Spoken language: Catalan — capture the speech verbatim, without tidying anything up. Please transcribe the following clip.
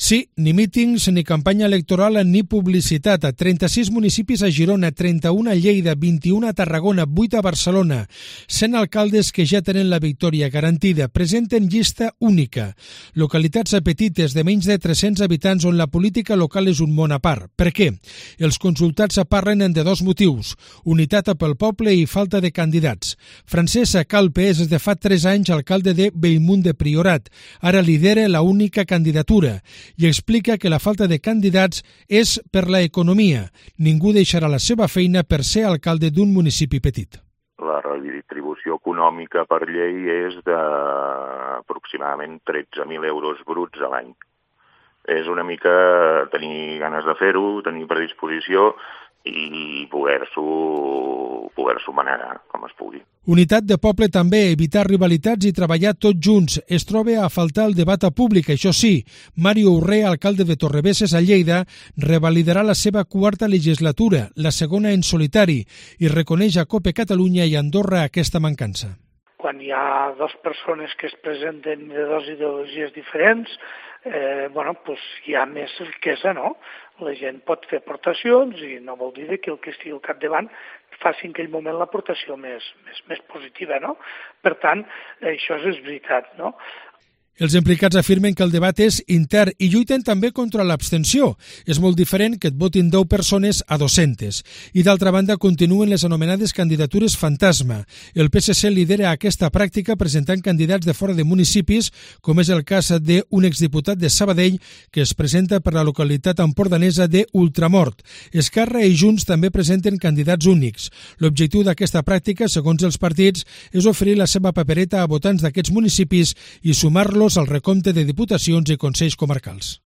Sí, ni mítings, ni campanya electoral, ni publicitat. A trenta-sis municipis a Girona, trenta-un a Lleida, vint-i-un a Tarragona, vuit a Barcelona. cent alcaldes que ja tenen la victòria garantida. Presenten llista única. Localitats petites de menys de tres-cents habitants on la política local és un món a part. Per què? Els consultats parlen de dos motius. Unitat pel poble i falta de candidats. Francesc Calpe és des de fa tres anys alcalde de Bellmunt de Priorat. Ara lidera la única candidatura i explica que la falta de candidats és per la economia. Ningú deixarà la seva feina per ser alcalde d'un municipi petit. La redistribució econòmica per llei és d'aproximadament tretze mil euros bruts a l'any. És una mica tenir ganes de fer-ho, tenir predisposició i poder-s'ho poder-s'ho manegar com es pugui. Unitat de poble també, evitar rivalitats i treballar tots junts. Es troba a faltar el debat públic. Això sí, Mario Urré, alcalde de Torrebesses a Lleida, revalidarà la seva quarta legislatura, la segona en solitari, i reconeix a COPE Catalunya i Andorra aquesta mancança. Quan hi ha dues persones que es presenten de dues ideologies diferents, eh, bueno, pues hi ha més riquesa, no? La gent pot fer aportacions i no vol dir que el que estigui al capdavant faci en aquell moment l'aportació més, més, més positiva, no? Per tant, això és veritat, no? Els implicats afirmen que el debat és intern i lluiten també contra l'abstenció. És molt diferent que et votin deu persones a dues-centes. I d'altra banda continuen les anomenades candidatures fantasma. El P S C lidera aquesta pràctica presentant candidats de fora de municipis, com és el cas d'un exdiputat de Sabadell que es presenta per la localitat empordanesa de Ultramort. Esquerra i Junts també presenten candidats únics. L'objectiu d'aquesta pràctica, segons els partits, és oferir la seva papereta a votants d'aquests municipis i sumar-los al recompte de diputacions i consells comarcals.